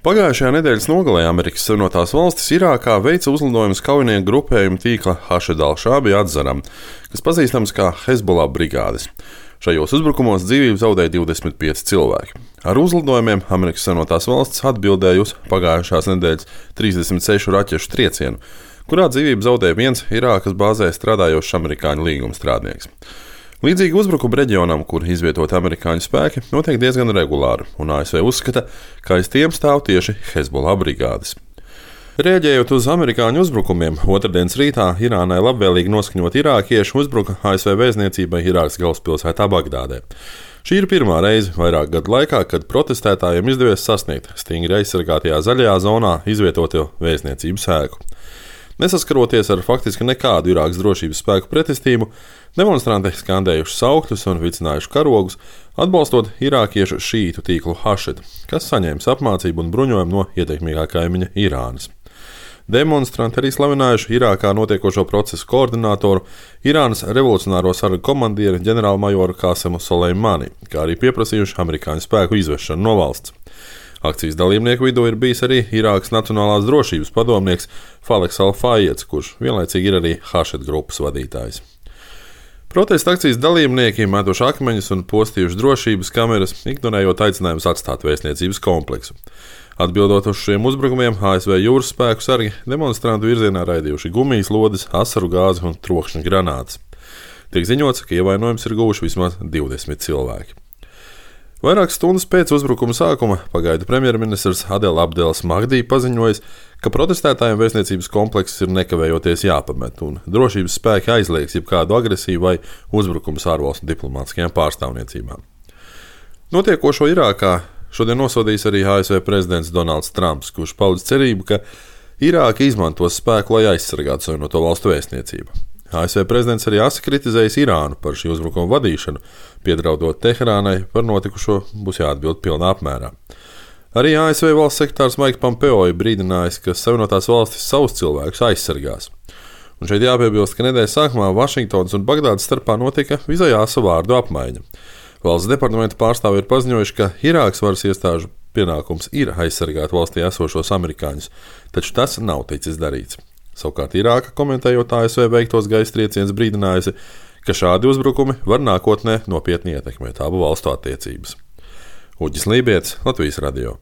Pagājušajā nedēļas nogalē Amerikas Savienotās Valstis Irākā veica uzlidojumus kaujinieku grupējuma tīkla Hašed al-Šābi atzaram, kas pazīstams kā Hezbollah brigādes. Šajos uzbrukumos dzīvību zaudēja 25 cilvēki. Ar uzlidojumiem Amerikas Savienotās Valstis atbildēja uz pagājušās nedēļas 36 raķešu triecienu, kurā dzīvību zaudēja viens Irākas bāzē strādājošs amerikāņu līgumstrādnieks. Līdzīgi uzbrukumu reģionam, kur izvietoti amerikāņu spēki, notiek diezgan regulāri, un ASV uzskata, ka aiz tiem stāv tieši Hezbollah brigādes. Rēģējot uz amerikāņu uzbrukumiem, otrdienas rītā Irānai labvēlīgi noskaņot irākieši uzbruka ASV vēstniecībai Irākas galvaspilsētā Bagdādē. Šī ir pirmā reize vairāk gadu laikā, kad protestētājiem izdevies sasniegt stingri aizsargātajā zaļajā zonā izvietoto vēstniecības ēku. Nesaskaroties ar faktiski nekādu Irākas drošības spēku pretestību, demonstranti skandējuši saukļus un vicinājuši karogus, atbalstot irākiešu šītu tīklu Hašed, kas saņēmis apmācību un bruņojumu no ietekmīgā kaimiņa Irānas. Demonstranti arī slavinājuši Irākā notiekošo procesu koordinātoru, Irānas revolucionāro sargu komandieri ģenerālmajoru Kasemu Soleimani, kā arī pieprasījuši amerikāņu spēku izvešanu no valsts. Akcijas dalībnieku vidū ir bijis arī Irākas Nacionālās drošības padomnieks Faleks Al-Fayeds, kurš vienlaicīgi ir arī Hašed grupas vadītājs. Protesta akcijas dalībnieki metuši akmeņus un postījuši drošības kameras, ignorējot aicinājumus atstāt vēstniecības kompleksu. Atbildot uz šiem uzbrukumiem, ASV jūras spēku sargi demonstrantu virzienā raidījuši gumijas lodes, asaru gāzi un trokšņa granātas. Tiek ziņots, ka ievainojums ir guvuši vismaz 20 cilvēki. Vairākas stundas pēc uzbrukuma sākuma pagaidu premjerministrs Adel Abdels Mahdī paziņojis, ka protestētājiem vēstniecības komplekss ir nekavējoties jāpamet, un drošības spēki aizliegs jebkādu agresiju vai uzbrukumus ārvalstu diplomātiskajām pārstāvniecībām. Notiekošo Irākā šodien nosodījis arī ASV prezidents Donalds Trumps, kurš paudz cerību, ka Irāka izmantos spēku, lai aizsargātu Savienoto Valstu vēstniecību. ASV prezidents arī asi kritizējis Irānu par šī uzbrukuma vadīšanu, piedraudot Teherānai par notikušo būs jāatbild pilnā apmērā. Arī ASV valsts sekretārs Mike Pompeo ir brīdinājis, ka Savienotās Valstis savus cilvēkus aizsargās. Un šeit jāpiebilst, ka nedēļas sākumā Vašingtonas un Bagdādas starpā notika visai asa vārdu apmaiņa. Valsts departamenta pārstāvji ir paziņojuši, ka Irākas varas iestāžu pienākums ir aizsargāt valstī esošos amerikāņus, taču tas nav ticis darīts. Savukārt Irāka, komentējot ASV veiktos gaisa triecienus, brīdinājusi, ka šādi uzbrukumi var nākotnē nopietni ietekmēt abu valstu attiecības. Uģis Lībietis, Latvijas radio.